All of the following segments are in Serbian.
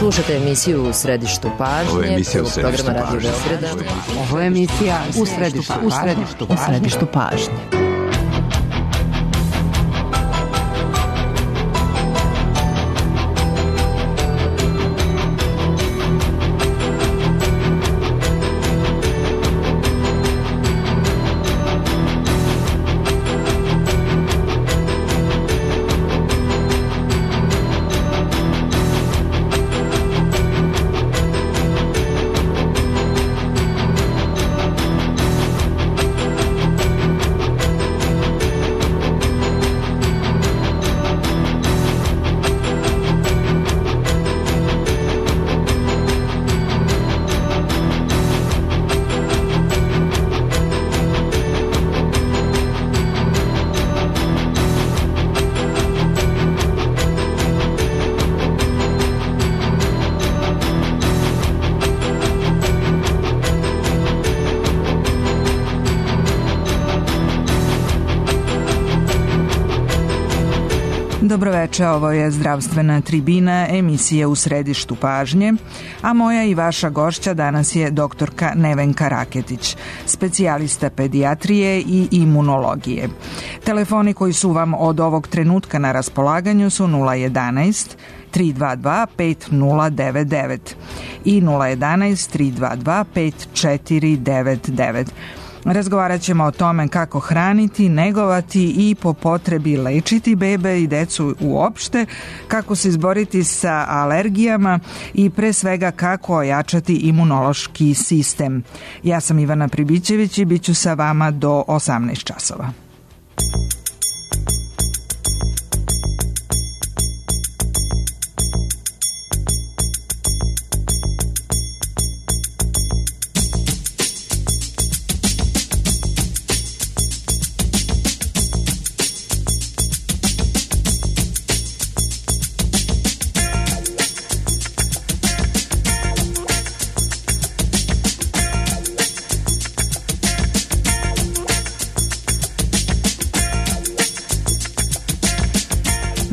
Slušate emisiju U središtu pažnje. Ovo je emisija U središtu programa Radio pažnje. Beograda. Ovo je emisija U središtu pažnje. Dobroveče, ovo je Zdravstvena tribina, emisija U središtu pažnje, a moja i vaša gošća danas je doktorka Nevenka Raketić, specijalista pedijatrije i imunologije. Telefoni koji su vam od ovog trenutka na raspolaganju su 011 322 5099 i 011 322 5499. Razgovarat ćemo o tome kako hraniti, negovati i po potrebi lečiti bebe i decu uopšte, kako se izboriti sa alergijama i pre svega kako ojačati imunološki sistem. Ja sam Ivana Pribićević i bit ću sa vama do 18 časova.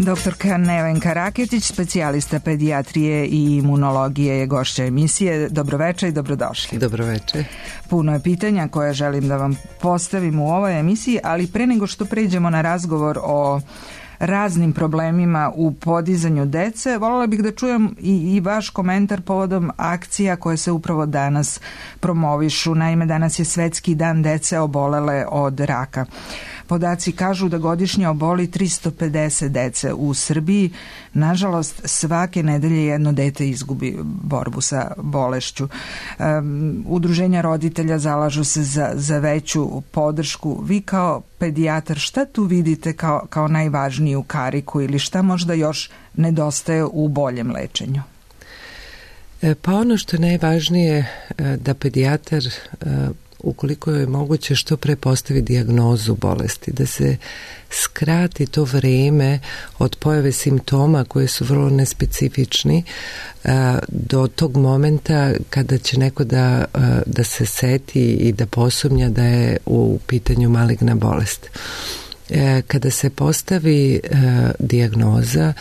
Doktorka Nevenka Raketić, specijalista pedijatrije i imunologije, je gošća emisije. Dobroveče i dobrodošli. Dobroveče. Puno je pitanja koje želim da vam postavim u ovoj emisiji, ali pre nego što pređemo na razgovor o raznim problemima u podizanju dece, voljela bih da čujem i vaš komentar povodom akcija koje se upravo danas promovišu. Naime, danas je Svetski dan dece obolele od raka. Podaci kažu da godišnje oboli 350 dece u Srbiji. Nažalost, svake nedelje jedno dete izgubi borbu sa bolešću. Udruženja roditelja zalažu se za veću podršku. Vi kao pedijatar, šta tu vidite kao najvažniju kariku ili šta možda još nedostaje u boljem lečenju? Pa ono što je najvažnije da pedijatar, ukoliko je moguće, što pre postavi dijagnozu bolesti, da se skrati to vreme od pojave simptoma koje su vrlo nespecifični do tog momenta kada će neko da se seti i da posumnja da je u pitanju maligna bolest. Kada se postavi dijagnoza,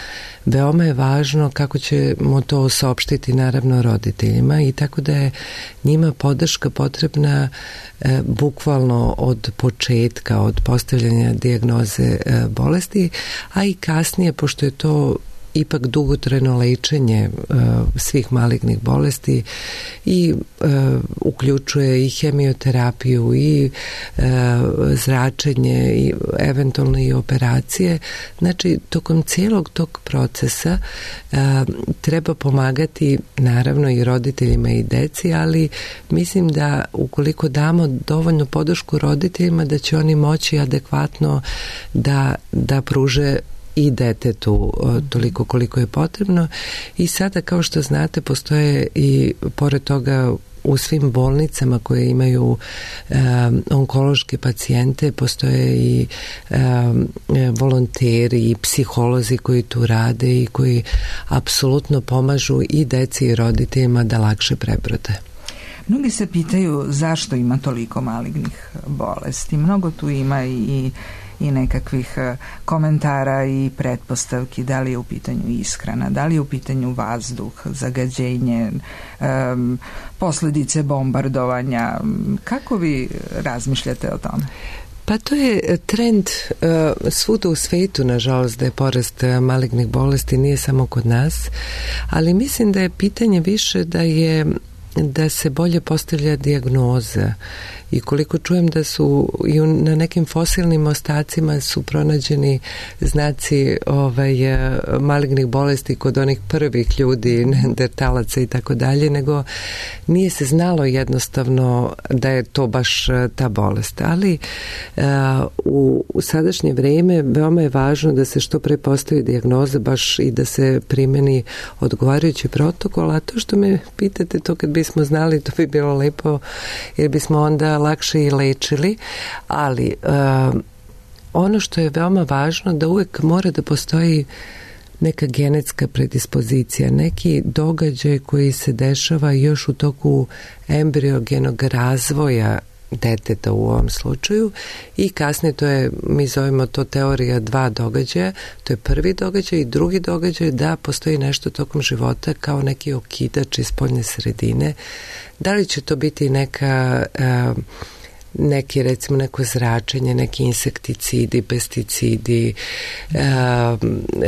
veoma je važno kako ćemo to saopštiti naravno roditeljima, i tako da je njima podrška potrebna bukvalno od početka, od postavljanja dijagnoze bolesti, a i kasnije, pošto je to ipak dugotrajno lečenje svih malignih bolesti i uključuje i hemioterapiju i zračenje i eventualno i operacije. Znači, tokom cijelog tog procesa treba pomagati naravno i roditeljima i deci, ali mislim da ukoliko damo dovoljnu podršku roditeljima, da će oni moći adekvatno da pruže i detetu toliko koliko je potrebno. I sada, kao što znate, postoje i pored toga u svim bolnicama koje imaju onkološke pacijente, postoje i volonteri i psiholozi koji tu rade i koji apsolutno pomažu i deci i roditeljima da lakše prebrode. Mnogi se pitaju zašto ima toliko malignih bolesti. Mnogo tu ima i i nekakvih komentara i pretpostavki, da li je u pitanju ishrana, da li je u pitanju vazduh, zagađenje, posljedice bombardovanja. Kako vi razmišljate o tome? Pa to je trend svuda u svetu, nažalost, da je porast malignih bolesti, nije samo kod nas, ali mislim da je pitanje više da se bolje postavlja dijagnoza. I koliko čujem da su i na nekim fosilnim ostacima su pronađeni znaci malignih bolesti kod onih prvih ljudi, neandertalaca i tako dalje, nego nije se znalo jednostavno da je to baš ta bolest. Ali u sadašnje vrijeme veoma je važno da se što pre postavi dijagnoza baš i da se primeni odgovarajući protokol, a to što me pitate, to kad bismo znali, to bi bilo lepo, jer bismo onda lakše i lečili, ali ono što je veoma važno da uvek mora da postoji neka genetska predispozicija, neki događaj koji se dešava još u toku embriogenog razvoja deteta u ovom slučaju i kasnije to je, mi zovemo to teorija 2 događaja, to je prvi događaj i drugi događaj da postoji nešto tokom života kao neki okidač iz spoljne sredine. Da li će to biti neki recimo neko zračenje, neki insekticidi, pesticidi,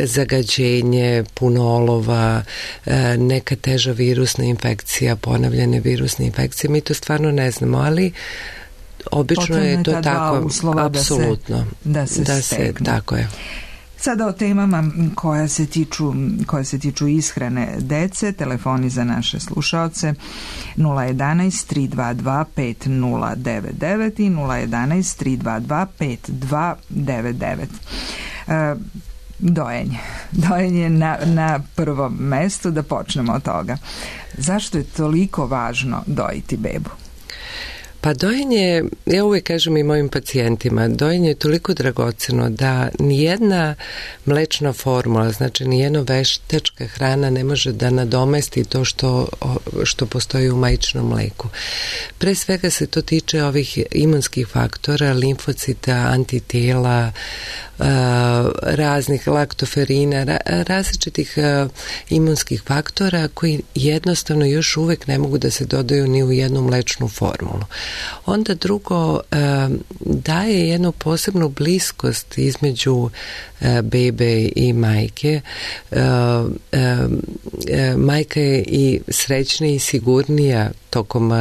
zagađenje, puno olova, neka teža virusna infekcija, ponavljane virusne infekcije, mi to stvarno ne znamo, ali obično je to tako, apsolutno, da se tako je. Sada o temama koje se tiču ishrane dece, telefoni za naše slušaoce 011 322 5099 i 011 322 5299. Dojenje na prvom mestu, da počnemo od toga. Zašto je toliko važno dojiti bebu? Pa dojenje, ja uvijek kažem i mojim pacijentima, dojenje je toliko dragoceno da nijedna mlečna formula, znači nijedna veštačka hrana ne može da nadomesti to što postoji u majčinom mleku. Pre svega se to tiče ovih imunskih faktora, limfocita, antitela, raznih laktoferina, različitih imunskih faktora koji jednostavno još uvijek ne mogu da se dodaju ni u jednu mlečnu formulu. Onda drugo, daje jednu posebnu bliskost između bebe i majke. Majka je i srećnija i sigurnija tokom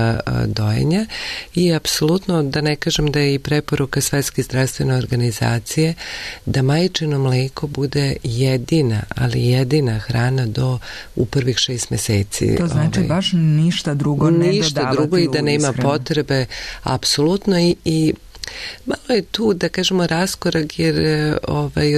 dojenja i apsolutno, da ne kažem da je i preporuka Svetske zdravstvene organizacije da majčino mleko bude jedina, ali jedina hrana u prvih 6 meseci. To znači baš ništa drugo ne dodavati u ishranu. Ništa drugo i da nema potrebe, apsolutno i malo je tu, da kažemo, raskorak jer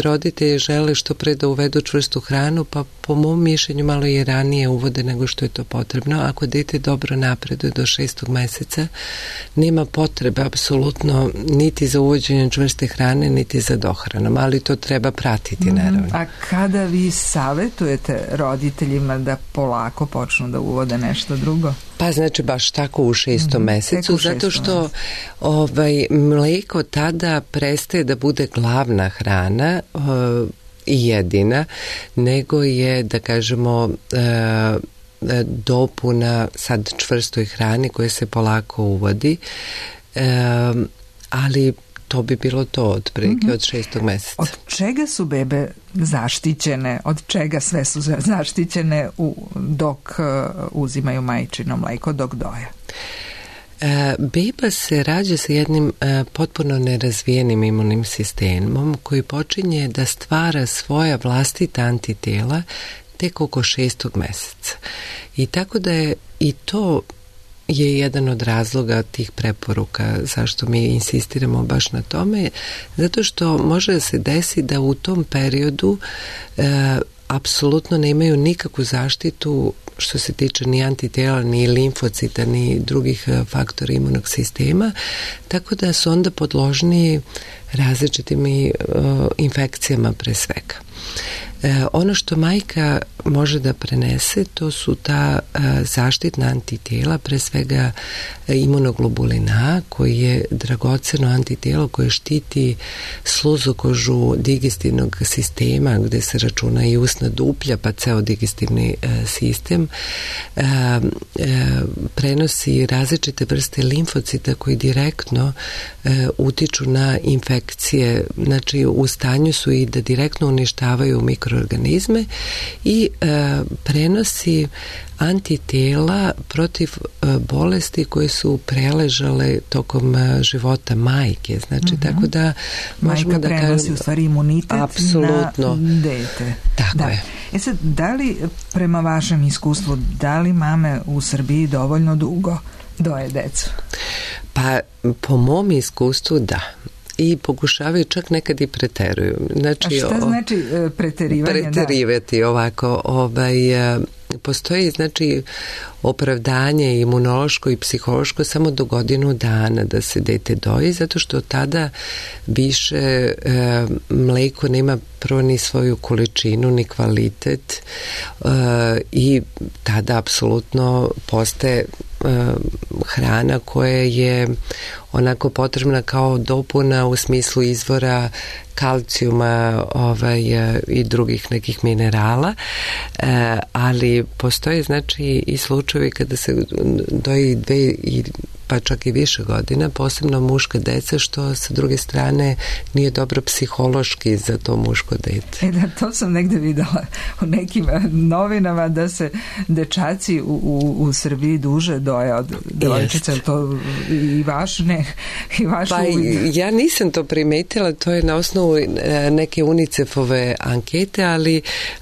roditelji žele što pre da uvedu čvrstu hranu, pa po mom mišljenju malo je ranije uvode nego što je to potrebno. Ako dete dobro napreduje do 6. meseca, nema potrebe apsolutno niti za uvođenje čvrste hrane, niti za dohranom, ali to treba pratiti, naravno. A kada vi savjetujete roditeljima da polako počnu da uvode nešto drugo? Pa znači baš tako u 6. mesecu, zato što mleko tada prestaje da bude glavna hrana i jedina, nego je, da kažemo, dopuna sad čvrstoj hrani koja se polako uvodi, ali to bi bilo to od prilike od 6. meseca. Od čega su bebe zaštićene? Od čega sve su zaštićene dok uzimaju majčino mleko, dok doje? Beba se rađa sa jednim potpuno nerazvijenim imunim sistemom koji počinje da stvara svoja vlastita antitela tek oko 6. meseca. I tako da je i to je jedan od razloga tih preporuka zašto mi insistiramo baš na tome, zato što može da se desi da u tom periodu apsolutno nemaju nikakvu zaštitu što se tiče ni antitela, ni limfocita, ni drugih faktora imunog sistema, tako da su onda podložni različitim infekcijama pre svega. Ono što majka može da prenese, to su ta zaštitna antitijela, pre svega imunoglobulin A, koji je dragoceno antitijelo koje štiti sluzokožu digestivnog sistema, gde se računa i usna duplja, pa ceo digestivni sistem. Prenosi različite vrste limfocita koji direktno utiču na infekcije, znači u stanju su i da direktno uništavaju mikroorganizme, i prenosi antitijela protiv bolesti koje su preležale tokom života majke. Znači, tako da možemo da majka prenosi u stvari imunitet apsolutno na dete. Tako je. Sad, da li, prema vašem iskustvu, da li mame u Srbiji dovoljno dugo doje decu? Pa, po mom iskustvu da. I pokušavaju, čak nekad i preteruju. Znači, a šta znači preterivanje? Preterivati ovako. Postoji, znači, opravdanje imunološko i psihološko samo do godinu dana da se dete doji, zato što tada više mleko nema prvo ni svoju količinu ni kvalitet i tada apsolutno postaje hrana koja je onako potrebna kao dopuna u smislu izvora kalcijuma i drugih nekih minerala, ali postoje znači i slučajevi kada se doji 2 pa čak i više godina, posebno muška deca, što sa druge strane nije dobro psihološki za to muško dete. To sam negde videla u nekim novinama, da se dečaci u Srbiji duže doje od devojčica. To i vaš pa ja nisam to primetila, to je na osnovu neke UNICEF-ove ankete,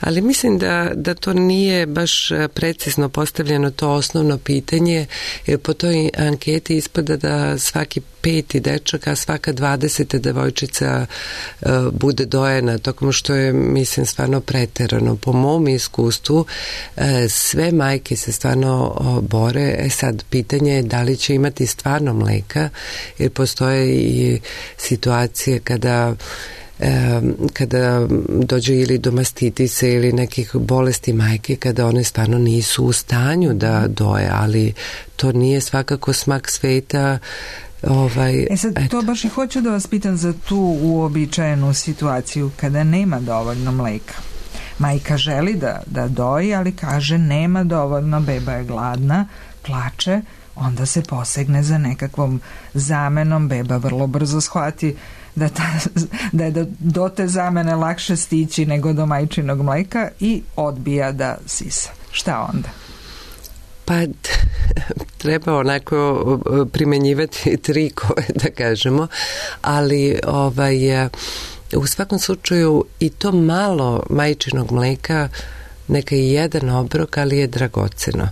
ali mislim da to nije baš precizno postavljeno to osnovno pitanje, jer po toj anketi ispada da svaki 5. dečak, a svaka 20. devojčica bude dojena, tokom što je, mislim, stvarno preterano. Po mom iskustvu sve majke se stvarno bore. Sad, pitanje je da li će imati stvarno mleka, jer postoje i situacije kada dođe ili do mastitise ili nekih bolesti majke, kada one stvarno nisu u stanju da doje, ali to nije svakako smak sveta. To baš i hoću da vas pitam za tu uobičajenu situaciju kada nema dovoljno mleka. Majka želi da doji, ali kaže nema dovoljno, beba je gladna, plače, onda se posegne za nekakvom zamenom, beba vrlo brzo shvati da je do te zamene lakše stići nego do majčinog mleka i odbija da sisa. Šta onda? Pa treba onako primenjivati trikove, da kažemo, ali u svakom slučaju i to malo majčinog mleka, neka i jedan obrok, ali je dragoceno.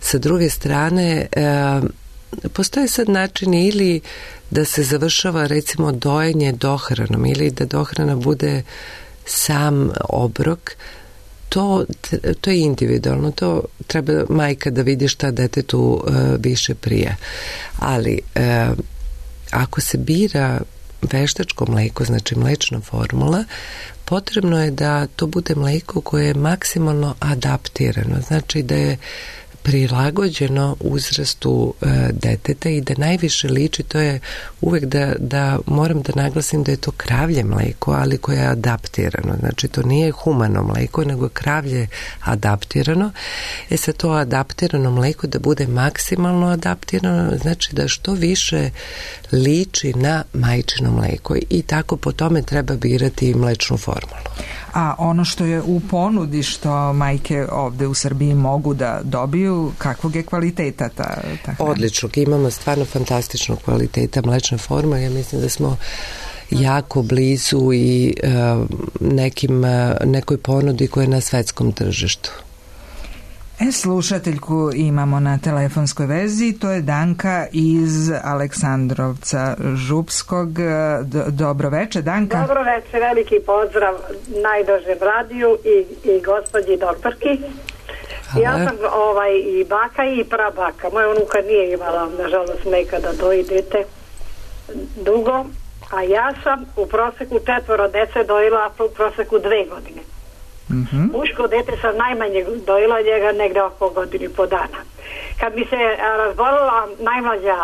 Sa druge strane, postoje sad načini ili da se završava recimo dojenje dohranom ili da dohrana bude sam obrok. To je individualno, to treba majka da vidi šta detetu više prija. Ali ako se bira veštačko mleko, znači mlečna formula, potrebno je da to bude mleko koje je maksimalno adaptirano, znači da je prilagođeno uzrastu deteta i da najviše liči, to je uvek da moram da naglasim da je to kravlje mleko, ali koje je adaptirano. Znači to nije humano mleko, nego je kravlje adaptirano. Sad to adaptirano mleko da bude maksimalno adaptirano, znači da što više liči na majčino mleko i tako po tome treba birati mlečnu formulu. A ono što je u ponudi, što majke ovde u Srbiji mogu da dobiju, kakvog je kvaliteta ta hrana? Odličnog, imamo stvarno fantastičnog kvaliteta mlečne formule. Ja mislim da smo jako blizu i nekoj ponudi koja je na svetskom tržištu. Slušateljku imamo na telefonskoj vezi, to je Danka iz Aleksandrovca Župskog. Dobro veče, Danka. Dobro veče, veliki pozdrav najdražem radiju i gospođi doktorki. Hvala. Ja sam i baka i prabaka. Moja unuka nije imala, nažalost, nekada doji dete dugo, a ja sam u proseku 4 dece dojila u proseku 2 godine. Muško dete sam najmanje dojela njega negde oko godinu i po dana. Kad mi se razbolila najmlađa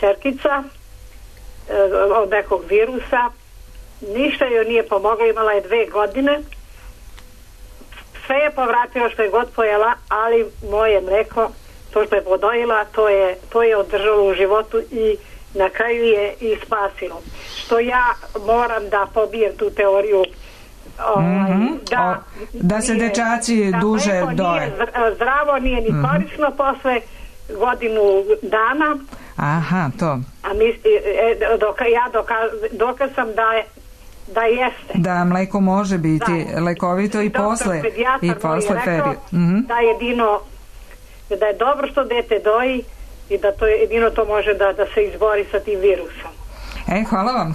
ćerkica od nekog virusa, ništa joj nije pomoglo, imala je 2 godine, sve je povratilo što je god pojela, ali moje mleko, to što je podojila, to je održalo u životu i na kraju je i spasilo. Što ja moram da pobijem tu teoriju da se dečaci duže doje. Nije zdravo, nije ni korisno posle godinu dana. Aha, to. A dokaz sam da jeste. Da mleko može biti lekovito i posle perioda. Da je dobro što dete doji i da to jedino to može da se izbori sa tim virusom.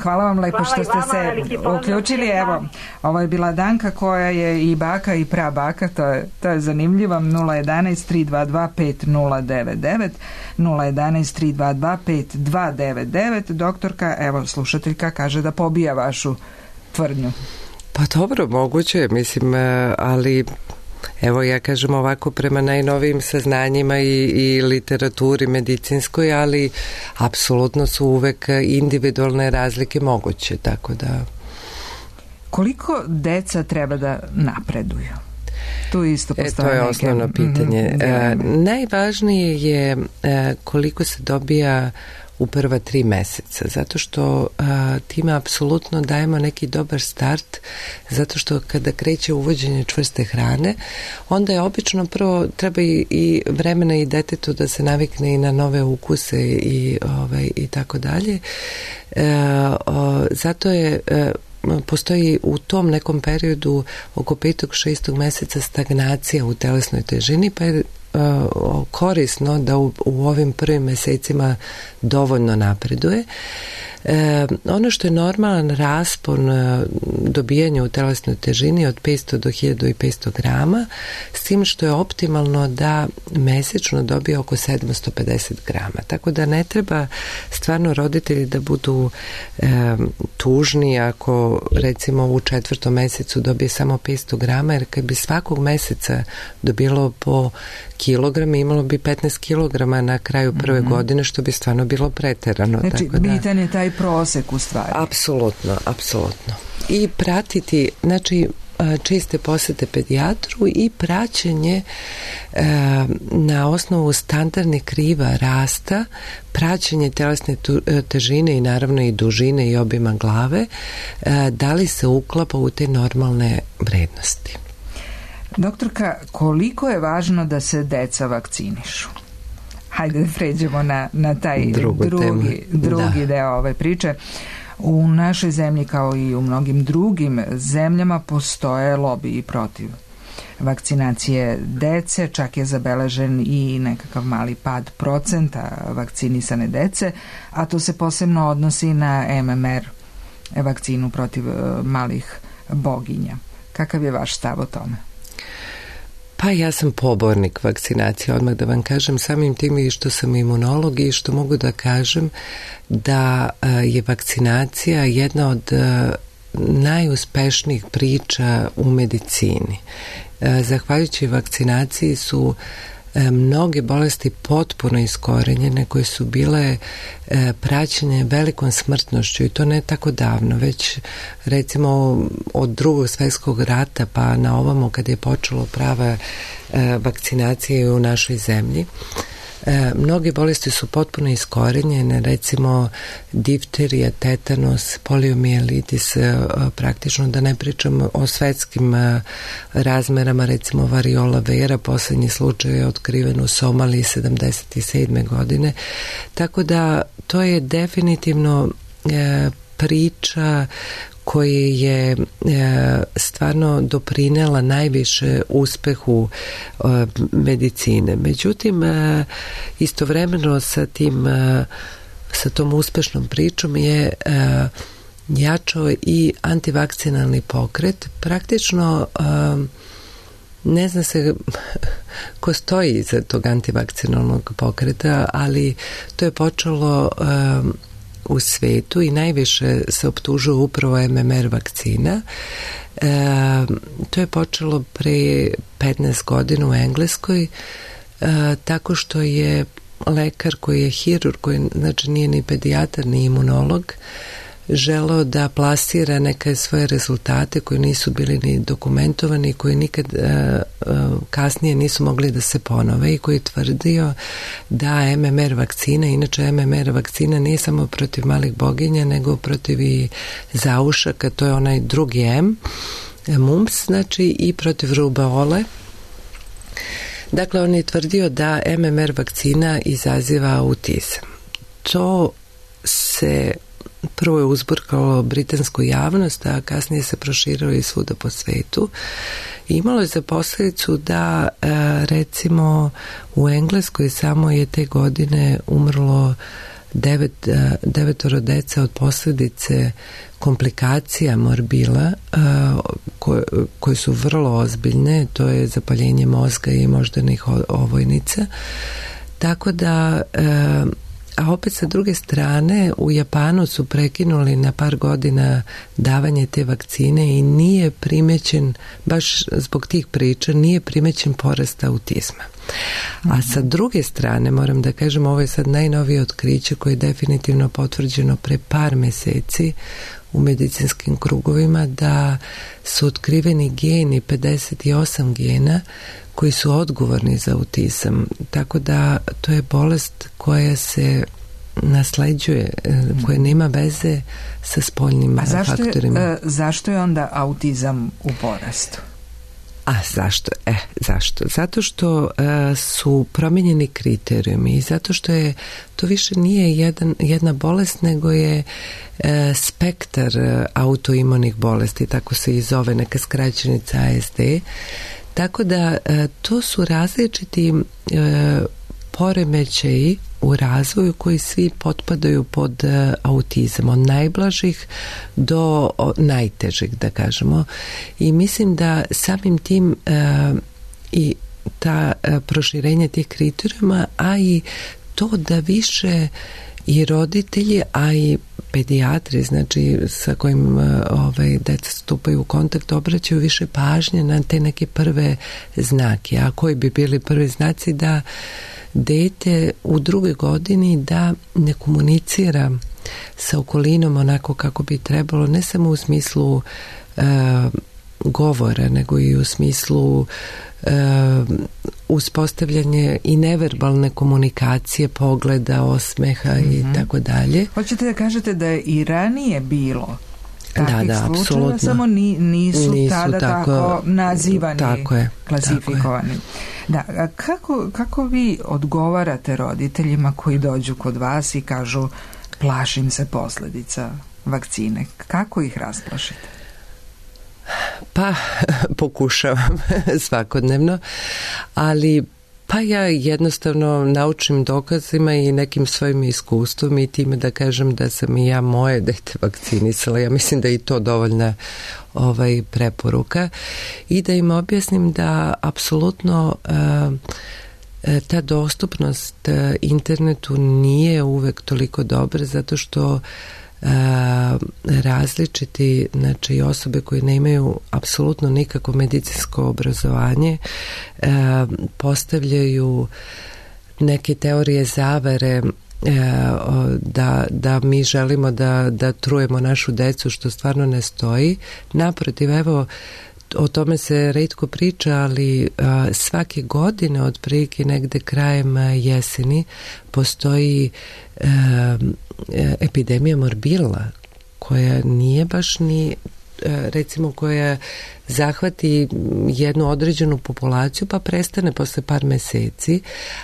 Hvala vam lepo što ste se uključili. Evo, ovo je bila Danka koja je i baka i prabaka, to je zanimljivo. 011-322-5099 011-322-5299. Doktorka, evo, slušateljka kaže da pobija vašu tvrdnju. Pa dobro, moguće je, mislim, ali evo ja kažem ovako prema najnovijim saznanjima i literaturi medicinskoj, ali apsolutno su uvek individualne razlike moguće, tako da... Koliko deca treba da napreduju? Tu isto postoje to je osnovno pitanje. Najvažnije je koliko se dobija u prva 3 meseca, zato što time apsolutno dajemo neki dobar start, zato što kada kreće uvođenje čvrste hrane, onda je obično prvo treba i vremena i detetu da se navikne i na nove ukuse i tako dalje. Zato je postoji u tom nekom periodu oko 5. 6. meseca stagnacija u telesnoj težini, pa je korisno da u ovim prvim mesecima dovoljno napreduje. Ono što je normalan raspon dobijanja u telesnoj težini od 500 do 1500 grama, s tim što je optimalno da mesečno dobije oko 750 grama. Tako da ne treba stvarno roditelji da budu tužni ako recimo u 4. mesecu dobije samo 500 grama, jer kad bi svakog meseca dobilo po kilogram, imalo bi 15 kilograma na kraju prve godine, što bi stvarno bilo preterano. Znači, tako bitan je taj prosek u stvari. Apsolutno. I pratiti, znači, čiste posete pedijatru i praćenje na osnovu standardnih kriva rasta, praćenje telesne težine i naravno i dužine i obima glave, da li se uklapa u te normalne vrednosti. Doktorka, koliko je važno da se deca vakcinišu? Hajde da pređemo na taj drugi deo ove priče. U našoj zemlji, kao i u mnogim drugim zemljama, postoje lobiji protiv vakcinacije dece, čak je zabeležen i nekakav mali pad procenta vakcinisane dece, a to se posebno odnosi na MMR, vakcinu protiv malih boginja. Kakav je vaš stav o tome? Pa ja sam pobornik vakcinacije, odmah da vam kažem, samim tim i što sam imunolog i što mogu da kažem da je vakcinacija jedna od najuspešnijih priča u medicini. Zahvaljujući vakcinaciji su mnoge bolesti potpuno iskorenjene koje su bile praćene velikom smrtnošću i to ne tako davno, već recimo od Drugog svjetskog rata pa na ovamo kad je počelo prava vakcinacija u našoj zemlji. Mnoge bolesti su potpuno iskorenjene, recimo difterija, tetanos, poliomijelitis, praktično da ne pričam o svetskim razmerama, recimo variola vera, posljednji slučaj je otkriven u Somaliji 77. godine, tako da to je definitivno priča koja je stvarno doprinela najviše uspehu medicine. Međutim, istovremeno sa tom uspešnom pričom je jačao i antivakcinalni pokret. Praktično ne zna se ko stoji iza tog antivakcinalnog pokreta, ali to je počelo u svetu i najviše se optužuje upravo MMR vakcina. To je počelo pre 15 godina u Engleskoj, tako što je lekar koji je hirurg, koji znači nije ni pedijatar ni imunolog, želeo da plasira neke svoje rezultate koji nisu bili ni dokumentovani, koji nikad kasnije nisu mogli da se ponove i koji je tvrdio da MMR vakcina, inače MMR vakcina nije samo protiv malih boginja, nego protiv i zaušaka, to je onaj drugi M, mumps, znači i protiv rubeole. Dakle, on je tvrdio da MMR vakcina izaziva autizam. To se prvo je uzburkalo britansku javnost, a kasnije se proširilo i svuda po svetu. I imalo je za posljedicu da recimo u Engleskoj samo je te godine umrlo 9 dece od posljedice komplikacija morbila koje su vrlo ozbiljne, to je zapaljenje mozga i moždanih ovojnica. Tako da a opet sa druge strane u Japanu su prekinuli na par godina davanje te vakcine i nije primećen, baš zbog tih priča, nije primećen porast autizma. A sa druge strane, moram da kažem, ovo je sad najnovije otkriće koje je definitivno potvrđeno pre par meseci u medicinskim krugovima, da su otkriveni geni, 58 gena koji su odgovorni za autizam. Tako da to je bolest koja se nasleđuje, koja nema veze sa spoljnim faktorima. Zašto je onda autizam u porastu? A zašto? Zašto? Zato što su promijenjeni kriterijumi i zato što je to više nije jedna bolest, nego je spektar autoimunih bolesti, tako se i zove neka skraćenica ASD. Tako da to su različiti poremećaji u razvoju koji svi potpadaju pod autizam, od najblažih do najtežih, da kažemo. I mislim da samim tim i ta proširenje tih kriterijuma, a i to da više i roditelji, a i pedijatri, znači sa kojim deca stupaju u kontakt, obraćaju više pažnje na te neke prve znake. A koji bi bili prvi znaci? Da dete u drugoj godini da ne komunicira sa okolinom onako kako bi trebalo, ne samo u smislu govora, nego i u smislu uspostavljanje i neverbalne komunikacije, pogleda, osmeha i tako dalje. Hoćete da kažete da je i ranije bilo takvih slučajeva, apsolutno. Samo nisu tada tako nazivani, klasifikovani. Da, kako vi odgovarate roditeljima koji dođu kod vas i kažu plašim se posljedica vakcine? Kako ih rasplašite? Pa, pokušavam svakodnevno, ali pa ja jednostavno naučim dokazima i nekim svojim iskustvom i time da kažem da sam i ja moje dete vakcinisala. Ja mislim da je i to dovoljna preporuka i da im objasnim da apsolutno ta dostupnost internetu nije uvek toliko dobra, zato što različiti, znači osobe koje nemaju apsolutno nikakvo medicinsko obrazovanje postavljaju neke teorije zavere da mi želimo da trujemo našu decu, što stvarno ne stoji. Naprotiv, evo, o tome se retko priča, ali svake godine, otprilike negde krajem jeseni, postoji epidemija morbila, koja nije baš ni, recimo, koja zahvati jednu određenu populaciju pa prestane posle par meseci,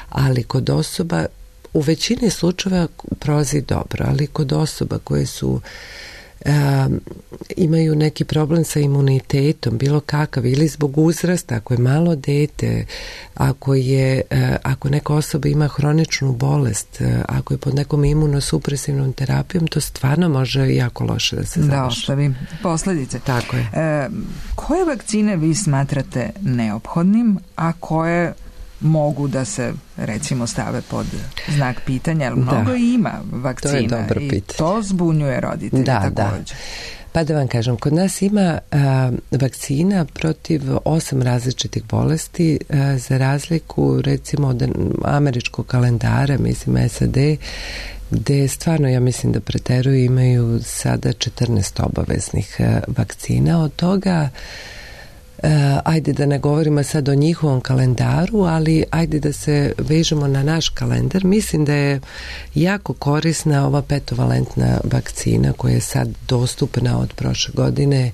ali kod osoba, u većini slučajeva prolazi dobro, ali kod osoba koje su imaju neki problem sa imunitetom, bilo kakav, ili zbog uzrasta, ako je malo dete, ako neka osoba ima hroničnu bolest, ako je pod nekom imunosupresivnom terapijom, to stvarno može jako loše da se završi. Da, ostavi posljedice. Tako je. Koje vakcine vi smatrate neophodnim, a koje mogu da se recimo stave pod znak pitanja, ali mnogo ima vakcina. To je dobro pitanje. I to zbunjuje roditelje također. Pa da vam kažem, kod nas ima vakcina protiv 8 različitih bolesti, za razliku recimo od američkog kalendara, mislim SAD, gde stvarno, ja mislim da preteruju, imaju sada 14 obaveznih vakcina. Od toga, ajde da ne govorimo sad o njihovom kalendaru, ali ajde da se vežemo na naš kalendar. Mislim da je jako korisna ova petovalentna vakcina koja je sad dostupna od prošle godine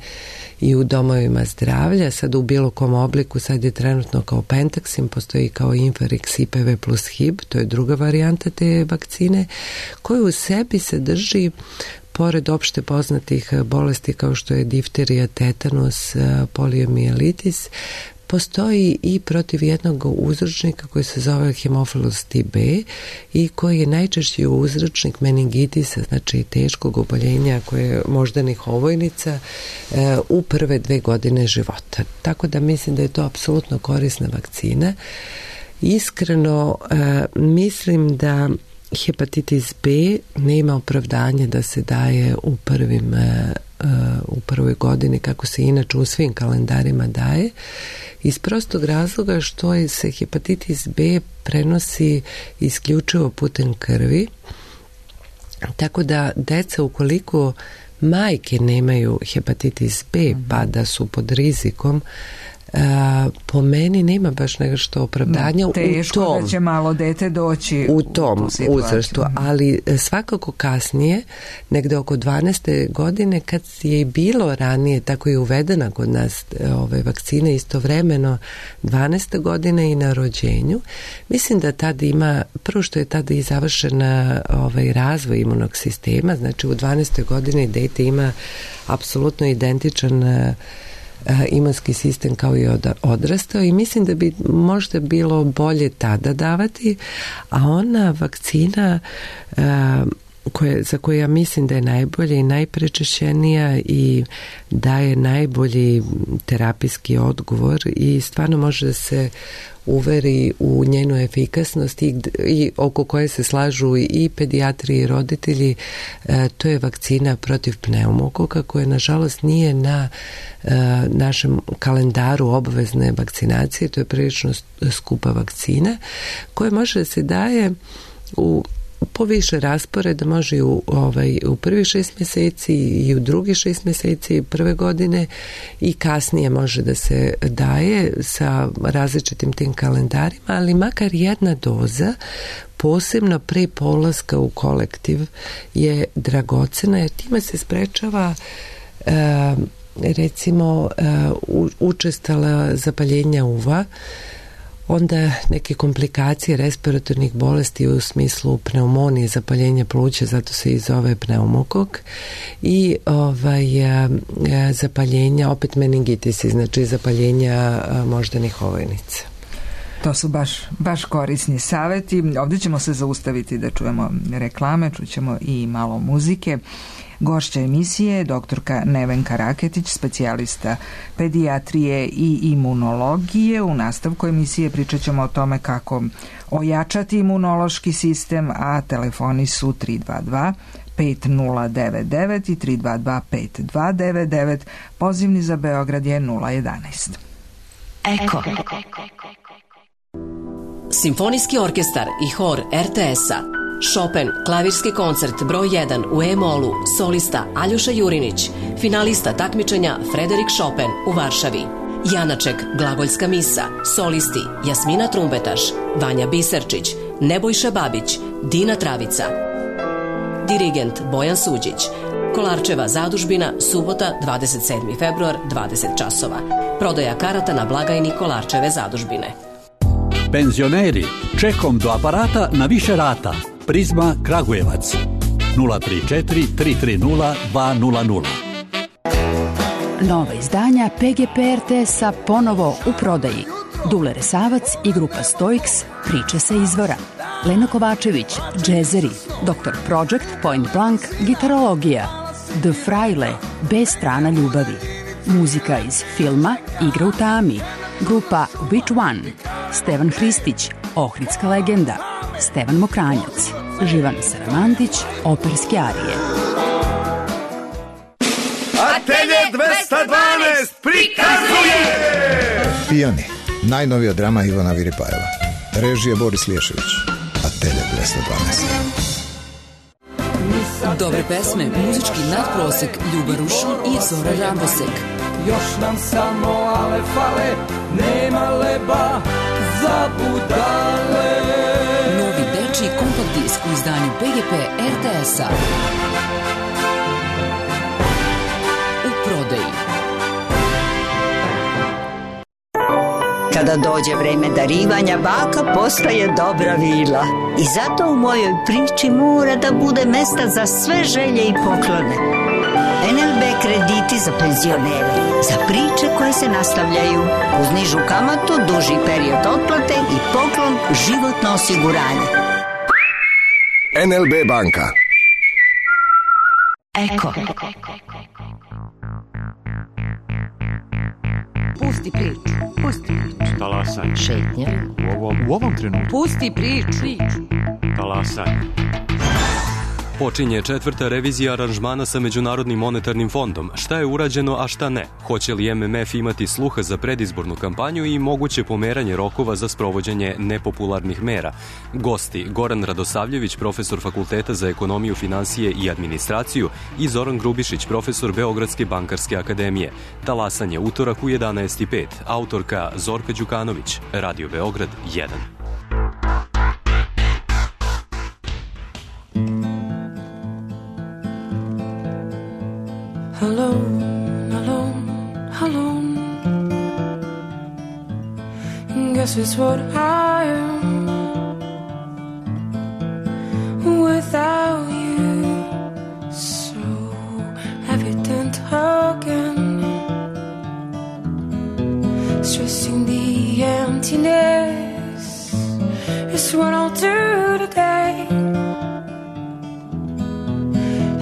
i u domovima zdravlja, sad u bilo kom obliku, sad je trenutno kao Pentaxim, postoji kao Infarix, IPV plus HIB, to je druga varijanta te vakcine, koja u sebi sadrži, pored opšte poznatih bolesti kao što je difterija, tetanus, poliomijelitis, postoji i protiv jednog uzročnika koji se zove Haemophilus TB i koji je najčešći uzročnik meningitisa, znači teškog oboljenja koje moždanih ovojnica u prve 2 godine života. Tako da mislim da je to apsolutno korisna vakcina. Iskreno mislim da hepatitis B nema opravdanje da se daje u prvoj godini kako se inače u svim kalendarima daje, iz prostog razloga što se hepatitis B prenosi isključivo putem krvi, tako da deca, ukoliko majke nemaju hepatitis B pa da su pod rizikom, po meni nema baš nešto opravdanja teško da će malo dete doći u tom uzrastu, ali svakako kasnije, negde oko 12. godine, kad je i bilo ranije, tako je uvedena kod nas vakcine istovremeno 12. godine i na rođenju, mislim da tada ima, prvo što je tada i završen razvoj imunog sistema, znači u 12. godini dete ima apsolutno identičan imunski sistem kao i odrastao i mislim da bi možda bilo bolje tada davati, a ona vakcina za koju ja mislim da je najbolja i najprečešćenija i daje najbolji terapijski odgovor i stvarno može da se uveri u njenu efikasnost i oko koje se slažu i pedijatri i roditelji, to je vakcina protiv pneumokoka koja nažalost nije na našem kalendaru obavezne vakcinacije, to je prilično skupa vakcina koja može da se daje po više rasporeda, može u prvih 6 mjeseci i u drugih 6 mjeseci prve godine i kasnije može da se daje sa različitim tim kalendarima, ali makar jedna doza, posebno pre polaska u kolektiv, je dragocena jer time se sprečava recimo učestala zapaljenja uva, onda neke komplikacije respiratornih bolesti u smislu pneumonije, zapaljenja pluća, zato se i zove pneumokok, i zapaljenja, opet meningitisi, znači zapaljenja moždanih ovojnica. To su baš korisni savjeti. Ovdje ćemo se zaustaviti da čujemo reklame, čućemo i malo muzike. Gošća emisije je doktorka Nevenka Raketić, specijalista pedijatrije i imunologije. U nastavku emisije pričat ćemo o tome kako ojačati imunološki sistem, a telefoni su 322 5099 i 322 5299. Pozivni za Beograd je 011. Eko. Simfonijski orkestar i hor RTS-a. Chopin, klavirski koncert broj 1 u E-molu, solista Aljoša Jurinić, finalista takmičenja Frederik Chopin u Varšavi. Janaček, glagoljska misa, solisti Jasmina Trumbetaš, Vanja Biserčić, Nebojša Babić, Dina Travica. Dirigent Bojan Suđić. Kolarčeva zadužbina, subota 27. februar, 20 časova. Prodaja karata na blagajni Kolarčeve zadužbine. Penzioneri, čekom do aparata na više rata. Prizma Kragujevac 034 330 200. Nova izdanja PGP RTS-a ponovo u prodaji. Dule Resavac i grupa Stoiks, priče sa izvora. Lena Kovačević, džezeri. Dr. Project, Point Blank, gitarologija. The Fraile, B strana ljubavi. Muzika iz filma Igra u tami. Grupa Which One. Stevan Hristić, ohridska legenda, Stevan Mokranjac, Živan Saramantić, operske arije. Atelje 212 prikazuje Pijani, najnovija drama Ivana Viripajeva. Režija Boris Liješević. Atelje 212. Dobre pesme, muzički nadprosek, Ljuba Rušun i Zora Rambosek. Još nam samo ale fale, nema leba za budale. Novi dečiji kompakt disk u izdanju PGP RTS-a. U prodaji. Kada dođe vreme darivanja, baka postaje dobra vila. I zato u mojoj priči mora da bude mesta za sve želje i poklone. NLB krediti za penzionere, za priče koje se nastavljaju, uz nižu kamatu, duži period otplate i poklon životno osiguranje. NLB banka. Eko. Pusti priču, pusti priču. Talasaj. Šetnja. U ovom trenutku. Pusti priču. Talasaj. Počinje 4. revizija aranžmana sa Međunarodnim monetarnim fondom. Šta je urađeno, a šta ne? Hoće li MMF imati sluha za predizbornu kampanju i moguće pomeranje rokova za sprovođenje nepopularnih mera? Gosti Goran Radosavljević, profesor Fakulteta za ekonomiju, finansije i administraciju, i Zoran Grubišić, profesor Beogradske bankarske akademije. Talasanje utorak u 11:05. Autorka Zorka Đukanović. Radio Beograd 1. Alone, alone, alone. Guess it's what I am without you. So evident again. Stressing the emptiness is what I'll do today.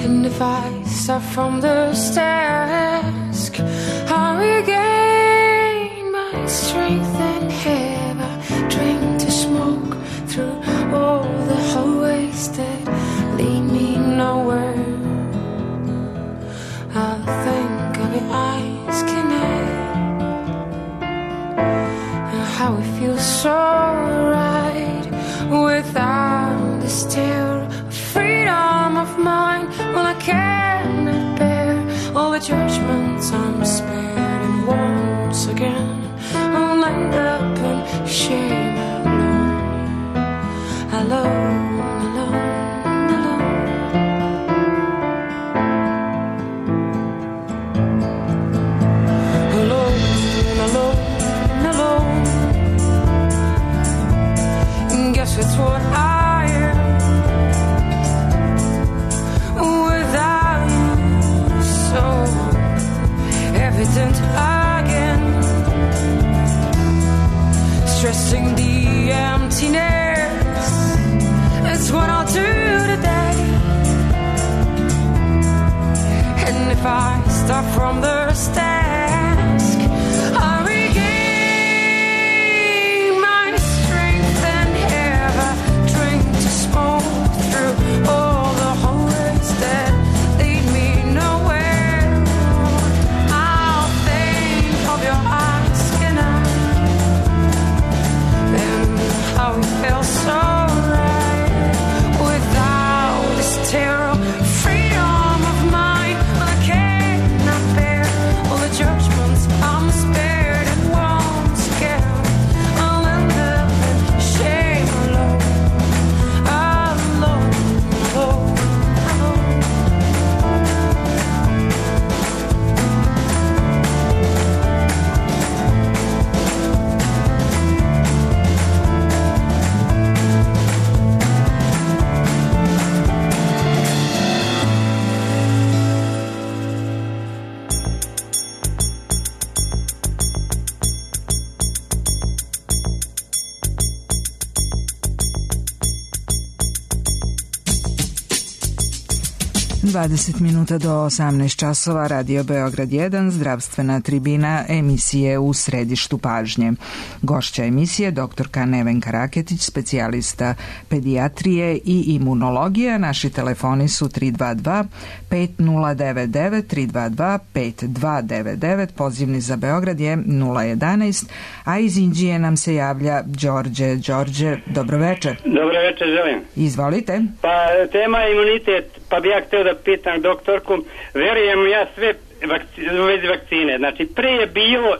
And if I start from the task, I regain my strength and have a drink to smoke through all the hallways that lead me nowhere. I think of your eyes connect, and how it feels so right without the stare of freedom of mind. Well, I cannot bear all the judgments I'm spared, and once again I'll end up in shame alone, alone, alone, alone. Alone, alone, alone. Guess it's what I am without you, so evident again. Stressing 20 minuta do 18 časova, Radio Beograd 1, zdravstvena tribina emisije U središtu pažnje. Gošća emisije doktorka Nevenka Raketić, specijalista pedijatrije i imunologije. Naši telefoni su 322 5099, 322 5299, pozivni za Beograd je 011, a iz Inđije nam se javlja Đorđe. Đorđe, dobroveče. Dobroveče, želim. Izvolite. Pa tema je imunitet, pa bi ja htio da pitam doktorku, verujem ja sve u vezi vakcine, znači pre je bilo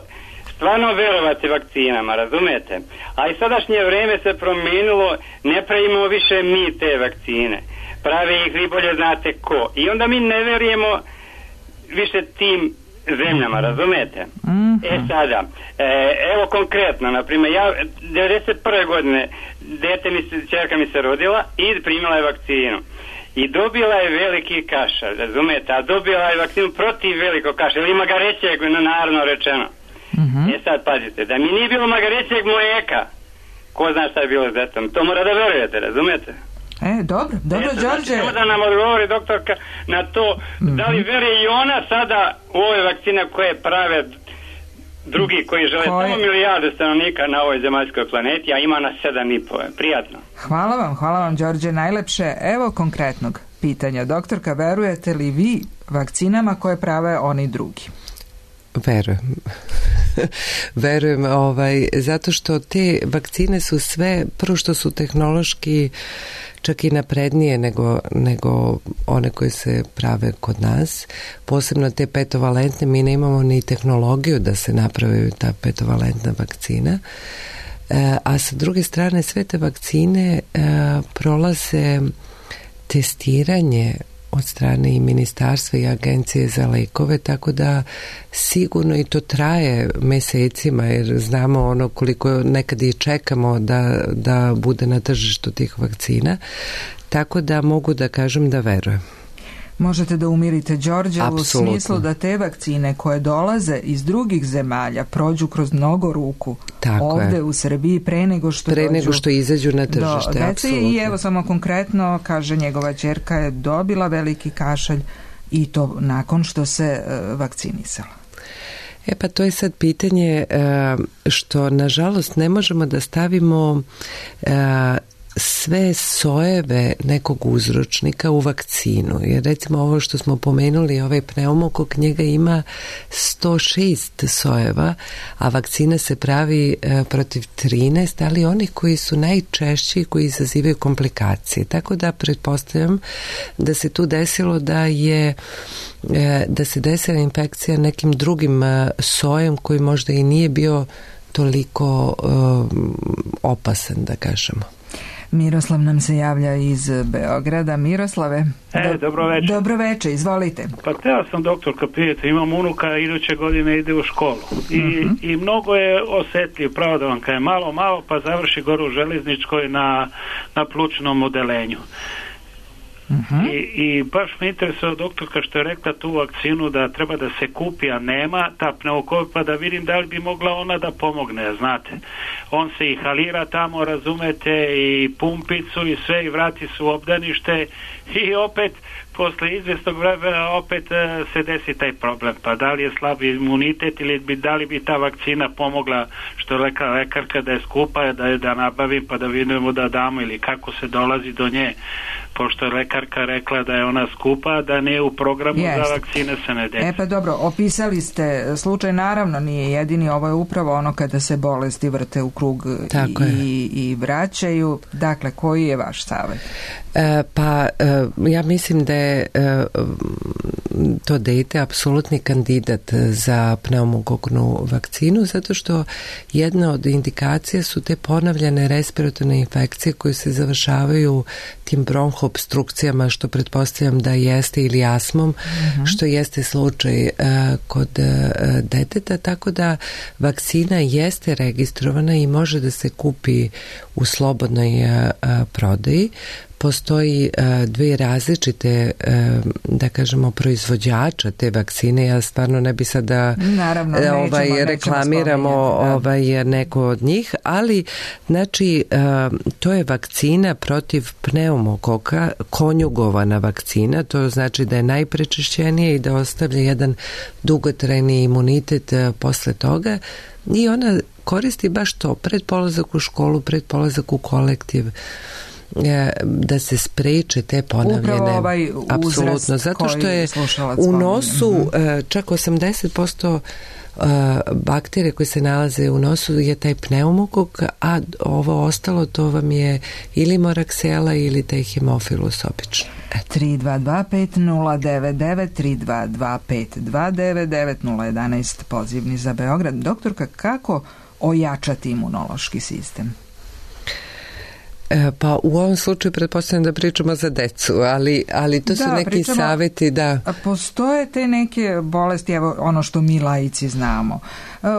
stvarno verovati vakcinama, razumete, a i sadašnje vreme se promijenilo, ne pravimo više mi te vakcine, pravi ih vi bolje znate ko, i onda mi ne verujemo više tim zemljama, razumete? Sada, evo konkretno, naprimjer, ja 91. godine čerka mi se rodila i primila je vakcinu. I dobila je veliki kašalj, razumete, a dobila je vakcinu protiv velikog kašalja, ili magarećeg, naravno rečeno. Sad pazite, da mi nije bilo magarećeg mlijeka, ko zna šta je bilo s detom, to mora da verujete, razumete? Dobro, Đorđe. Samo da nam odgovori doktorka na to, da li veruje i ona sada u ove vakcine koje prave drugi koji žele samo milijarde stanovnika na ovoj zemaljskoj planeti, a ima nas 7,5. Prijatno. Hvala vam Đorđe, najlepše. Evo konkretnog pitanja. Doktorka, verujete li vi vakcinama koje prave oni drugi? Verujem, zato što te vakcine su sve, prvo što su tehnološki čak i naprednije nego one koje se prave kod nas, posebno te petovalentne. Mi ne imamo ni tehnologiju da se napravi ta petovalentna vakcina, a sa druge strane sve te vakcine prolaze testiranje od strane i ministarstva i agencije za lekove, tako da sigurno i to traje mesecima, jer znamo koliko nekad i čekamo da bude na tržištu tih vakcina, tako da mogu da kažem da verujem. Možete da umirite Đorđe u smislu da te vakcine koje dolaze iz drugih zemalja prođu kroz mnogo ruku ovde u Srbiji pre nego što izađu na tržište. I evo samo konkretno, kaže njegova ćerka je dobila veliki kašalj i to nakon što se vakcinisala. Pa to je sad pitanje što nažalost ne možemo da stavimo sve sojeve nekog uzročnika u vakcinu. Jer recimo ovo što smo pomenuli, ovaj pneumokok, njega ima 106 sojeva, a vakcina se pravi protiv 13, ali onih koji su najčešći, koji izazivaju komplikacije. Tako da pretpostavljam da se tu desilo da se desila infekcija nekim drugim sojem koji možda i nije bio toliko opasan, da kažemo. Miroslav nam se javlja iz Beograda. Miroslave, dobroveče, izvolite. Pa teo sam doktorka pitati, imam unuka, iduće godine ide u školu i mnogo je osjetljiv, pravo da vam kažem, malo pa završi gore u železničkoj na plućnom odelenju. I baš me interesuje doktorka što je rekla tu vakcinu da treba da se kupi, a nema ta pneumokok, pa da vidim da li bi mogla ona da pomogne, znate. On se i halira tamo, razumete, i pumpicu i sve, i vrati su u obdanište i opet posle izvestog vremena opet se desi taj problem. Pa da li je slab imunitet ili da li bi ta vakcina pomogla, što je rekla lekarka, da je skupa, da nabavim pa da vidimo da damo, ili kako se dolazi do nje, pošto je lekarka rekla da je ona skupa, da ne u programu za vakcine se ne desi. Pa dobro, opisali ste slučaj, naravno nije jedini, ovo je upravo ono kada se bolesti vrte u krug i vraćaju. Dakle, koji je vaš savjet? Ja mislim da je to dete apsolutni kandidat za pneumokoknu vakcinu, zato što jedna od indikacija su te ponavljane respiratorne infekcije koje se završavaju tim bronhoobstrukcijama, što pretpostavljam da jeste, ili astmom, što jeste slučaj kod deteta, tako da vakcina jeste registrovana i može da se kupi u slobodnoj prodaji. postoji dve različite, da kažemo, proizvođača te vakcine. Ja stvarno ne bi sad da reklamiramo neko od njih, ali znači to je vakcina protiv pneumokoka, konjugovana vakcina, to znači da je najprečišćenija i da ostavlja jedan dugotrajni imunitet posle toga i ona koristi baš to, pred polazak u školu, pred polazak u kolektiv, da se spreče te ponavljene, apsolutno, zato što je u nosu čak 80% bakterije koje se nalaze u nosu je taj pneumokok, a ovo ostalo to vam je ili moraksela ili taj hemofilus obično. 3225099 3225299 pozivni za Beograd. Doktorka, kako ojačati imunološki sistem? Pa u ovom slučaju pretpostavljam da pričamo za decu, ali to su neki savjeti da... Postoje te neke bolesti, evo ono što mi laici znamo.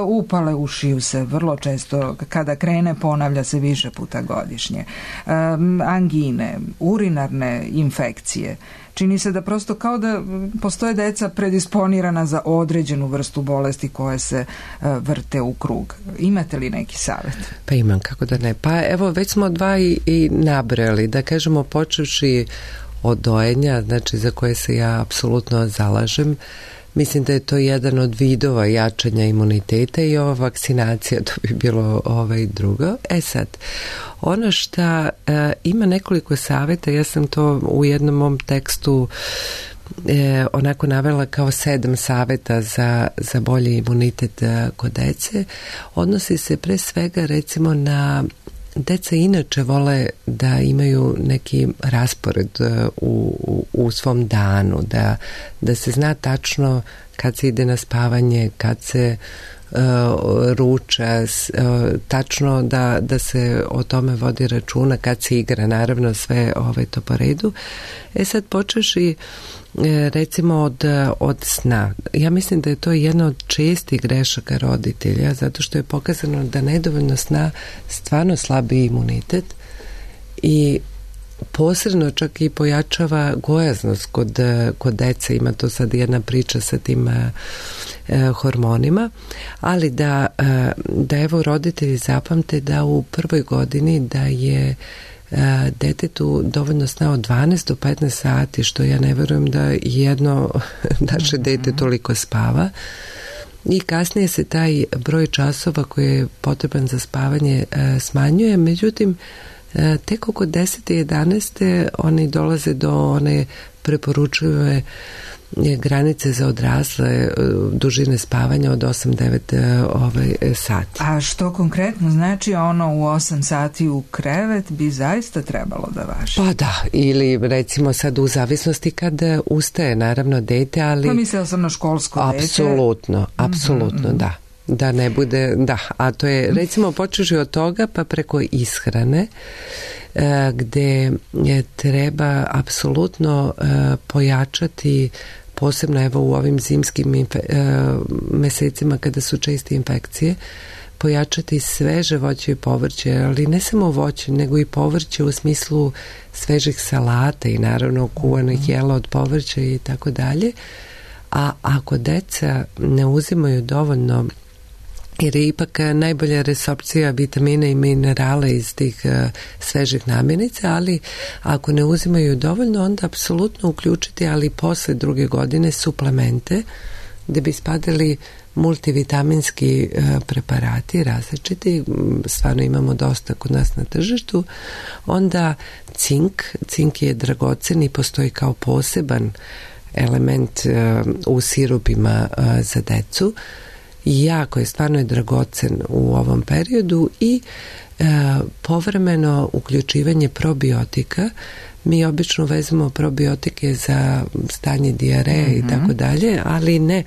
Upale ušiju se vrlo često, kada krene ponavlja se više puta godišnje. Angine, urinarne infekcije. Čini se da prosto kao da postoje deca predisponirana za određenu vrstu bolesti koje se vrte u krug. Imate li neki savjet? Pa imam, kako da ne. Pa evo, već smo dva i nabrali, da kažemo, počevši od dojenja, znači za koje se ja apsolutno zalažem. Mislim da je to jedan od vidova jačanja imuniteta i ova vakcinacija, to bi bilo drugo. Sad, ono što ima nekoliko savjeta, ja sam to u jednom mom tekstu onako navela kao 7 savjeta za bolji imunitet kod dece. Odnosi se pre svega recimo na deca inače vole da imaju neki raspored u svom danu, da se zna tačno kad se ide na spavanje, kad se ruča, tačno da se o tome vodi računa, kad se igra, naravno sve to po redu. Sad počeš i recimo od sna. Ja mislim da je to jedna od čestih grešaka roditelja, zato što je pokazano da nedovoljno sna stvarno slabi imunitet i posredno čak i pojačava gojaznost kod dece. Ima to sad jedna priča sa tim hormonima, ali da evo roditelji zapamte da u prvoj godini da je detetu dovoljno sna od 12 do 15 sati, što ja ne verujem da jedno naše dete toliko spava, i kasnije se taj broj časova koji je potreban za spavanje smanjuje, međutim tek oko 10. i 11. oni dolaze do one preporučive granice za odrasle dužine spavanja od 8-9 sati. A što konkretno znači ono u 8 sati u krevet bi zaista trebalo da važi? Pa da, ili recimo sad u zavisnosti kad ustaje naravno dete, ali... Pa mislila sam na školsko dete. Apsolutno, da. Da ne bude, da, a to je recimo počeši od toga pa preko ishrane gde treba apsolutno pojačati, posebno evo u ovim zimskim mesecima kada su česte infekcije, pojačati sveže voće i povrće, ali ne samo voće, nego i povrće u smislu svežih salata i naravno kuvanih jela od povrća i tako dalje. A ako deca ne uzimaju dovoljno, jer je ipak najbolja resorpcija vitamina i minerala iz tih svežih namirnica, ali ako ne uzimaju dovoljno, onda apsolutno uključiti, ali posle 2. godine, suplemente, gde bi spadali multivitaminski preparati različiti, stvarno imamo dosta kod nas na tržištu, onda cink je dragocen i postoji kao poseban element u sirupima za decu, jako je, stvarno je dragocen u ovom periodu i povremeno uključivanje probiotika. Mi obično vezamo probiotike za stanje dijareje i tako dalje, ali ne.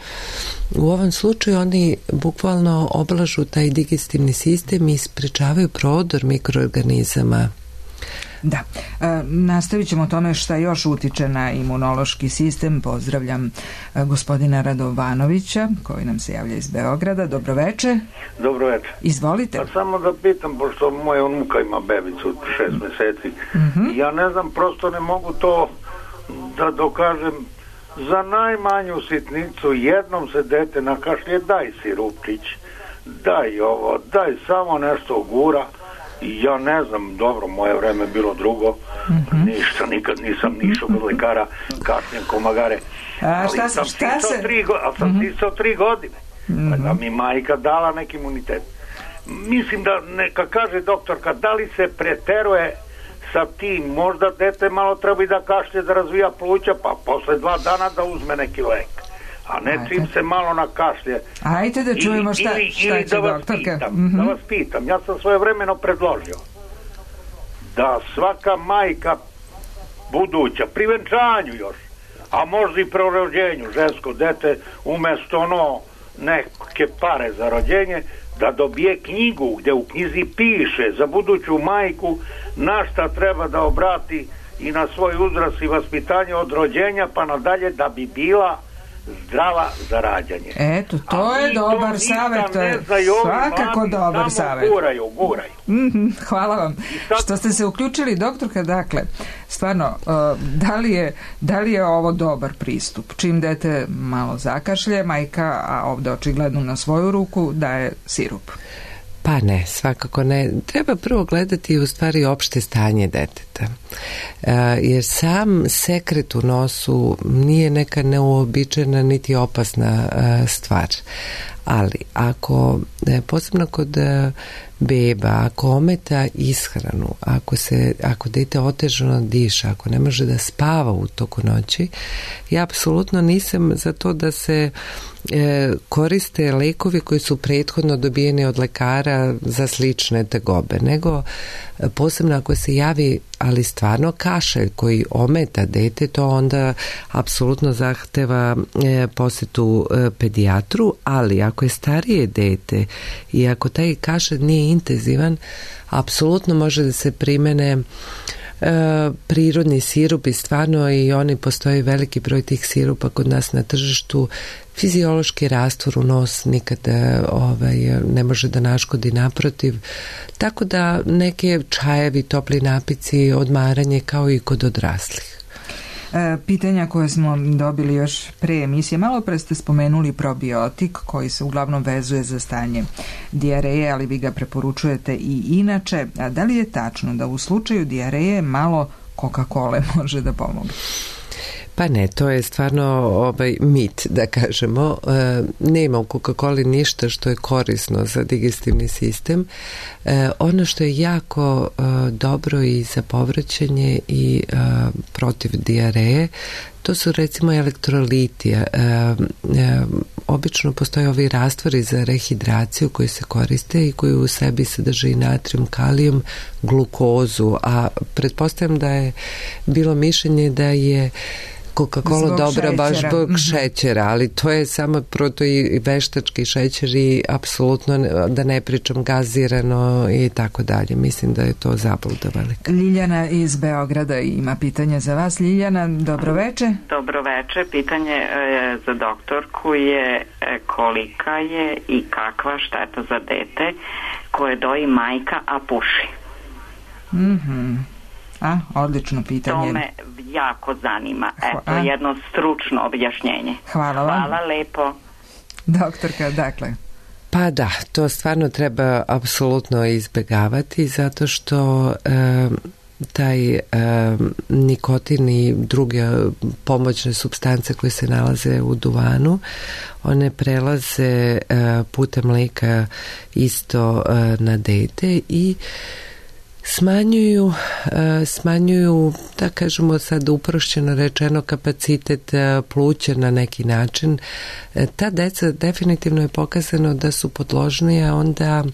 U ovom slučaju oni bukvalno oblažu taj digestivni sistem i sprečavaju prodor mikroorganizama Da, nastavit ćemo o tome šta još utiče na imunološki sistem. Pozdravljam gospodina Radovanovića koji nam se javlja iz Beograda. Dobroveče. Dobroveče. Izvolite. Pa samo da pitam, pošto moja unuka ima bebicu 6 meseci, ja ne znam, prosto ne mogu to da dokažem. Za najmanju sitnicu jednom se dete nakašlje, daj sirupčić, daj ovo, daj samo nešto gura. Ja ne znam, dobro, moje vreme je bilo drugo, ništa, nikad nisam nišao kod lekara, kašljem komagare, ali sam stisao 3 godine, da mi majka dala neki imunitet. Mislim da, neka kaže doktorka, da li se preteruje sa tim, možda dete malo treba i da kašlje, da razvija pluća, pa posle 2 dana da uzme neki lek, a ne čim se malo nakašlje. Ajde da čujemo šta će doktorka. Da vas pitam, ja sam svojevremeno predložio da svaka majka buduća, pri venčanju još, a možda i pro rođenju, žensko dete, umesto neke pare za rođenje, da dobije knjigu gde u knjizi piše za buduću majku na šta treba da obrati i na svoj uzrast i vaspitanje od rođenja pa nadalje, da bi bila zdrava za rađanje. Eto, to je dobar savjet, to je svakako dobar savjet. Guraju. Hvala vam što ste se uključili, doktorka. Dakle, stvarno, da li je ovo dobar pristup? Čim dete malo zakašlje, majka, a ovdje očigledno na svoju ruku, daje sirup. Pa ne, svakako ne. Treba prvo gledati u stvari opšte stanje deteta. Jer sam sekret u nosu nije neka neuobičajena niti opasna stvar. Ali ako, posebno kod beba, ako ometa ishranu, ako dete otežano diša, ako ne može da spava u toku noći, ja apsolutno nisam za to da se koriste lekovi koji su prethodno dobijeni od lekara za slične tegobe, nego posebno ako se javi ali stvarno kašalj koji ometa dete, to onda apsolutno zahteva posetu pedijatru, ali ako je starije dete i ako taj kašalj nije intenzivan, apsolutno može da se primene prirodni sirup i stvarno i oni postoji veliki broj tih sirupa kod nas na tržištu. Fiziološki rastvor u nos nikada ne može da naškodi, naprotiv. Tako da neke čajevi, topli napici, odmaranje kao i kod odraslih. Pitanja koje smo dobili još pre emisije. Malo pre ste spomenuli probiotik koji se uglavnom vezuje za stanje dijareje, ali vi ga preporučujete i inače. A da li je tačno da u slučaju dijareje malo Coca-Cola može da pomogne? Pa ne, to je stvarno mit, da kažemo. Nema u Coca-Coli ništa što je korisno za digestivni sistem. Ono što je jako dobro i za povraćanje i protiv dijareje, to su recimo elektroliti. Obično postoje ovi rastvori za rehidraciju koji se koriste i koji u sebi sadrže i natrijum, kalijum, glukozu, a pretpostavljam da je bilo mišljenje da je Coca-Cola dobra baš zbog šećera, ali to je samo proto i veštački šećer i apsolutno da ne pričam gazirano i tako dalje. Mislim da je to zabluda velika. Ljiljana iz Beograda ima pitanje za vas. Ljiljana, dobroveče. Dobroveče. Pitanje za doktorku je kolika je i kakva šteta za dete koje doji majka, a puši? Odlično pitanje. To me jako zanima. Eto, jedno stručno objašnjenje. Hvala vam. Hvala lepo. Doktorka, dakle. Pa da, to stvarno treba apsolutno izbegavati zato što taj nikotin i druge pomoćne supstance koje se nalaze u duvanu, one prelaze putem mleka isto na dete i smanjuju, da kažemo sad uprošćeno rečeno, kapacitet pluća na neki način. Ta deca definitivno je pokazano da su podložnija onda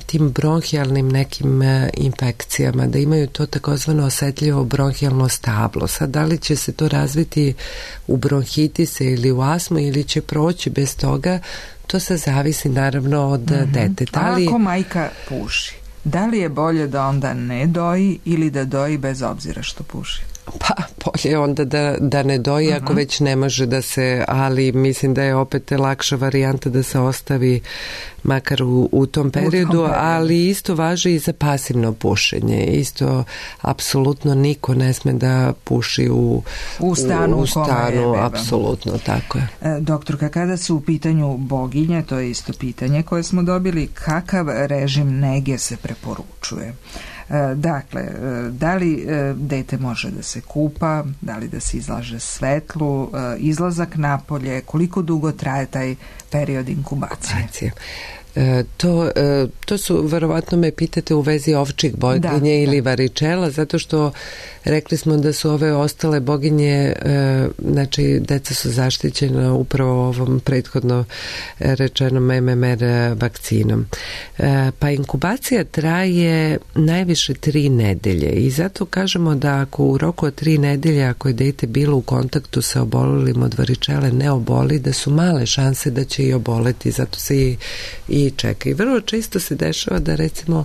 tim bronhijalnim nekim infekcijama, da imaju to takozvano osetljivo bronhijalno stablo. Sad, da li će se to razviti u bronhitise ili u astmu ili će proći bez toga, to se zavisi naravno od deteta. A ako majka puši? Da li je bolje da onda ne doji ili da doji bez obzira što puši? Pa bolje onda da ne doji ako već ne može da se, ali mislim da je opet lakša varijanta da se ostavi makar u tom periodu, ali isto važi i za pasivno pušenje. Isto apsolutno niko ne sme da puši u stanu, apsolutno, tako je. Doktorka, kada su u pitanju boginje, to je isto pitanje koje smo dobili, kakav režim nege se preporučuje? Dakle, da li dete može da se kupa, da li da se izlaže svetlu, izlazak napolje, koliko dugo traje taj period inkubacije? To su, verovatno me pitate u vezi ovčih boginje ili varičela, zato što rekli smo da su ove ostale boginje, znači deca su zaštićena upravo ovom prethodno rečenom MMR vakcinom. Pa inkubacija traje najviše 3 nedelje i zato kažemo da ako u roku od 3 nedelje, ako je dete bilo u kontaktu sa obolelim od varičele, ne oboli, da su male šanse da će i oboleti, zato se i čeka. I vrlo često se dešava da recimo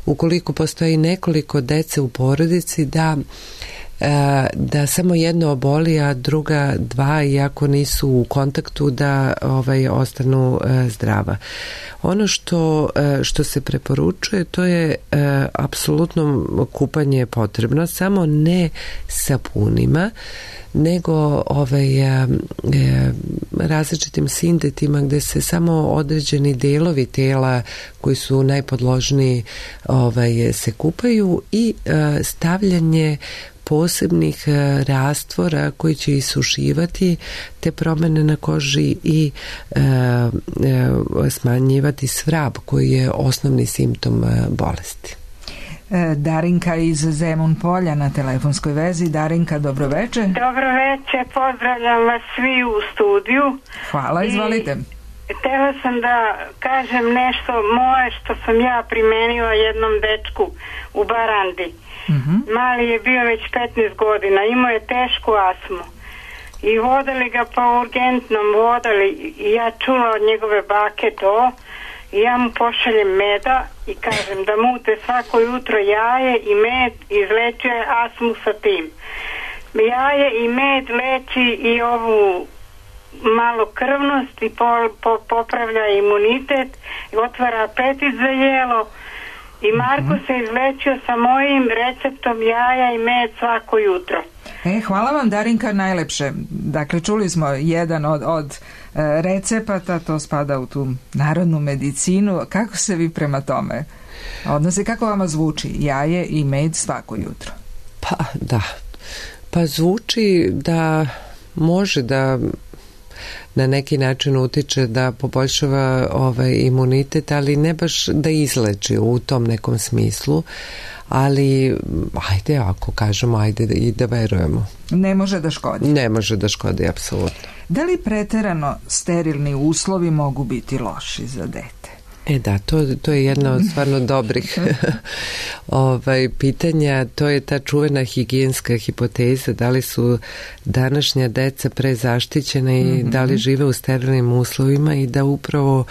ukoliko postoji nekoliko dece u porodici da samo jedno oboli, a druga 2, iako nisu u kontaktu, da ostanu zdrava. Ono što se preporučuje, to je apsolutno kupanje je potrebno, samo ne sapunima, nego različitim sintetima gde se samo određeni delovi tela koji su najpodložniji se kupaju i stavljanje posebnih rastvora koji će isušivati te promene na koži i smanjivati svrab koji je osnovni simptom bolesti. Darinka iz Zemun Polja na telefonskoj vezi. Darinka, dobroveče. Dobroveče, pozdravljam vas svi u studiju. Hvala, izvolite. Htela sam da kažem nešto moje što sam ja primenila jednom dečku u Barandi. Mali je bio već 15 godina, imao je tešku astmu i vodali ga po urgentnom, i ja čula od njegove bake to i ja mu pošaljem meda i kažem da mute svako jutro jaje i med, izlečuje astmu sa tim. Jaje i med leči i ovu malokrvnost i popravlja imunitet i otvara apetit za jelo. I Marko se izlečio sa mojim receptom jaja i med svako jutro. Hvala vam, Darinka, najlepše. Dakle, čuli smo jedan od recepata, to spada u tu narodnu medicinu. Kako se vi prema tome odnose? Kako vama zvuči jaje i med svako jutro? Pa zvuči da može da na neki način utiče da poboljšava imunitet, ali ne baš da izleči u tom nekom smislu, ali ajde, ako kažemo, ajde i da verujemo. Ne može da škodi. Ne može da škodi, apsolutno. Da li preterano sterilni uslovi mogu biti loši za dete? To je jedna od stvarno dobrih pitanja. To je ta čuvena higijenska hipoteza, da li su današnja deca prezaštićena i da li žive u sterilnim uslovima i da upravo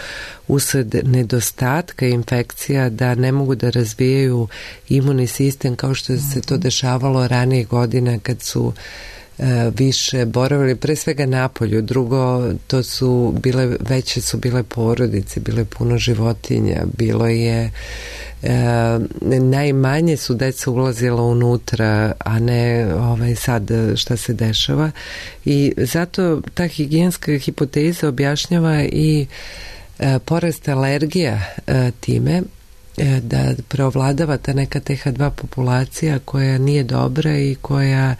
usled nedostatka infekcija da ne mogu da razvijaju imunni sistem kao što se to dešavalo ranije godina kad su više boravili pre svega napolju. Drugo, to su bile porodice, bile puno životinja, bilo je najmanje su deca ulazila unutra, a ne sad šta se dešava, i zato ta higijenska hipoteza objašnjava i porast alergija time, da preovladava ta neka TH2 populacija koja nije dobra i koja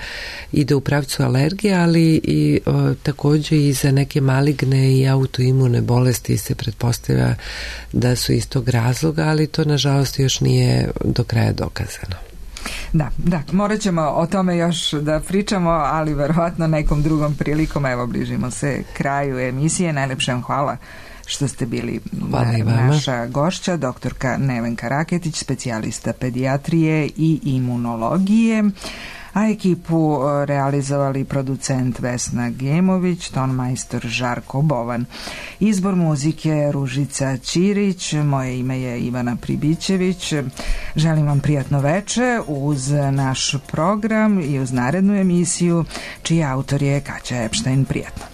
ide u pravcu alergije, ali i također i za neke maligne i autoimune bolesti se pretpostavlja da su iz tog razloga, ali to nažalost još nije do kraja dokazano. Da, morat ćemo o tome još da pričamo, ali verovatno nekom drugom prilikom. Evo, bližimo se kraju emisije. Najlepše vam hvala što ste bili naša gošća, doktorka Nevenka Raketić, specijalista pedijatrije i imunologije. a ekipu realizovali producent Vesna Gemović, tonmajstor Žarko Bovan. Izbor muzike Ružica Ćirić, moje ime je Ivana Pribićević. Želim vam prijatno veče uz naš program i uz narednu emisiju čiji autor je Kaća Epštajn. Prijatno.